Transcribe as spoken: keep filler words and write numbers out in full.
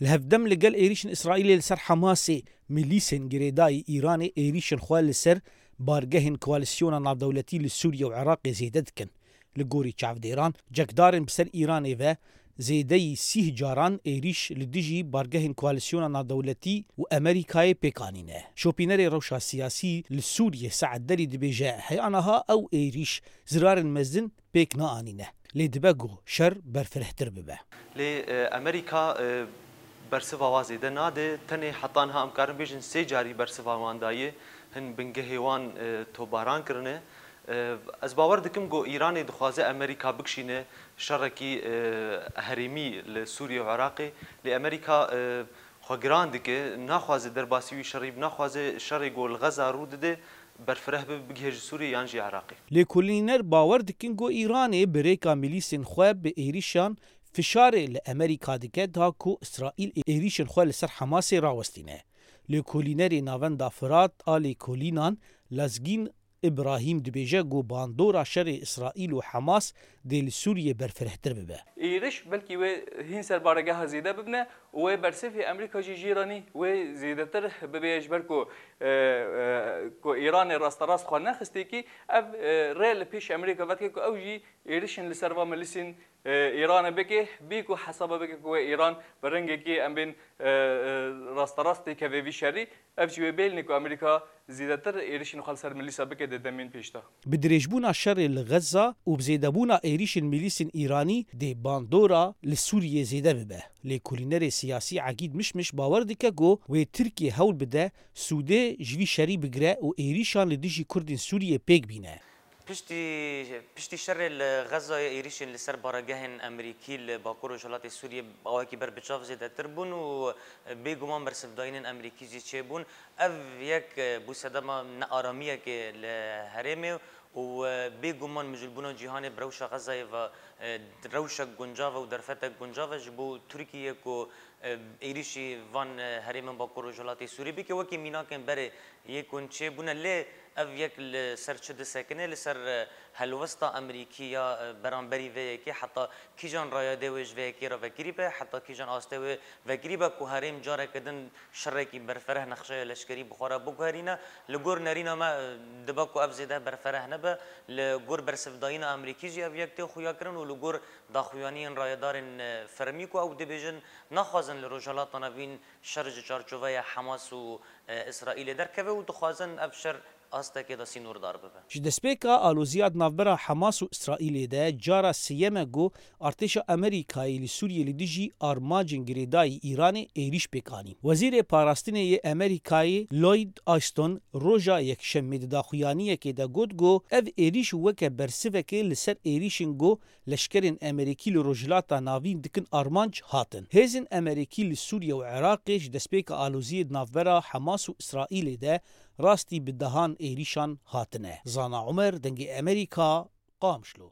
Li hevdem li gel êrîşên Îsraîlê li ser Hamasê, milîsên girêdayî Îranê êrîşên xwe li ser bargehên koalîsyona navdewletî li Sûriye û Iraqê zêde dikin. Li gorî çavdêran, cekdarên bi ser Îranê ve zêdeyî sîh caran êrîş li dijî bargehên koalîsyona navdewletî û Amerîkayê pêk anîne. Şopînerê rewşa siyasî li Sûriyê Sead Derî dibêje, heya niha ew êrîş zirarên mezin pêk naanîne. Lê dibe ku şer berfirehtir bibe. Lê, e, Amerîka, e, bersiva wa zêde nade. Tenê heta niha em karin bêjin sê carî bersiva wan daye. Hin bingehê wan, e, tobaran kirine. E, ez bawer dikim ku Îranê dixwaze Amerîka bikişîne şerekî, e, herêmî li Sûriye û Iraqê. Lê Amerîka, e, xwe giran dike, naxwaze derbasî wî şerî, naxwaze şerê ku li Xeza rû dide, berfireh bibe, bigihê ji Sûriyê yan jî Iraqê. Lêkolîner bawer dikin ku Îranê bi rêka milîsên xwe bi êrîşan fişarê li Amerîka dike, da ku Îsraîl êrîşên xwe li ser Hamasê rawestîne. Lêkolînerê Navenda Firat a lêkolînan Lazgîn Îbrahîm dibêje ku bandora şerê Îsraîl û Hamas dê li Sûriyê berfirehtir bibe. Êriş belkî wê hîn ser baregeha zêde bibine û wê bersivê Amerîka jî jî re nî wê zêdetir bibe, ji ber ku, e, e, ku Îranê rasterast xwe nexistêkî, ev, e, rê li pêş Amerîka vedike ku ew jî êrişên li ser va milîsên, e, Îranê bike, bê ku hesaba bike ku wê Îran bi rengekî em bên, e, e, rasterast têkeve vî şerî. Ev jî wê bêlne ku Amerîka zêdetir êrişên xwe li ser milîsa bike di demên pêş de. Bi dirêjbûna şerê li Xeza û bi zêdebûna êrişên milîsên Îranî dê bandora li Sûriyê zêde bibe. Lêkolînerê siyasî Egîd Mişmiş bawer dike ku wê Tirkiye hewl bide sûdê ji vî şerî bigire û êrîşan li dijî Kurdên Sûriyê pêk bîne. Piştî, piştî şerê li Xezayê êrîşên li ser baregehên Amerîkî li Bakur Rojhilatê Sûriyê awekî ber bi çav zêdetir bûn û bêguman bersivdayînên Amerîkî jî çêbûn. Ev yek bû sedema nearamiyekê li herêmê û bêguman mijûlbûna cîhanê bi rewşa Xezayê ve rewşek guncav e û derfetek guncav e ji bo Tirkiyê ku êrîşî van herêmên Bakur Rojhilatê Sûriyê bike. Wekî mînakên berê yê ku çêbûne, lê ev yek li ser çi disekine? Li ser, e, helwesta Amerîkî ya, e, beramberî vê yekê, heta kîjan rayadê wê ji vê yekê re vekirî be, heta kîjan astê wê vekirî be ku herêm careke din şerekî berfereh nexşeya leşkerî bi xwe re biguherîne. Li gor nerîna me, e, dibe ku ev zêde berfereh nebe. Li gor bersivdayîna Amerîkî jî ev yek tê xuyakirin û li gor daxuyaniyên rayedarên, e, fermî ku ew dibêjin naxwazin li Rojhilata Navîn şer ji çarçoveya Hamas û, e, Îsraîlê derkeve û dixwazin ev şer astekê de sînordar bibe. Ji destpêka aloziya di navbera Hamas û Îsraîlê de cara sêyem e ku artêşa Amerîkayê li Sûriyê li dijî armancên girêdayî Îranê êrîş pêk anîn. Wezîrê Parastinê yê Amerîkayê Lloyd Austin roja Yekşemê di daxuyaniyekê de got ku ev êrîş weke bersivekê li ser êrîşên ku leşkerên Amerîkî li Rojhilata Navîn dikin armanc hatin. Hêzên Amerîkî li Sûriye û Iraqê ji destpêka aloziyê di navbera Hamas û Îsraîlê de rastî bi dehan êrîşan hatine. Zana Umer, Dengê Amerîka, Qamişlo.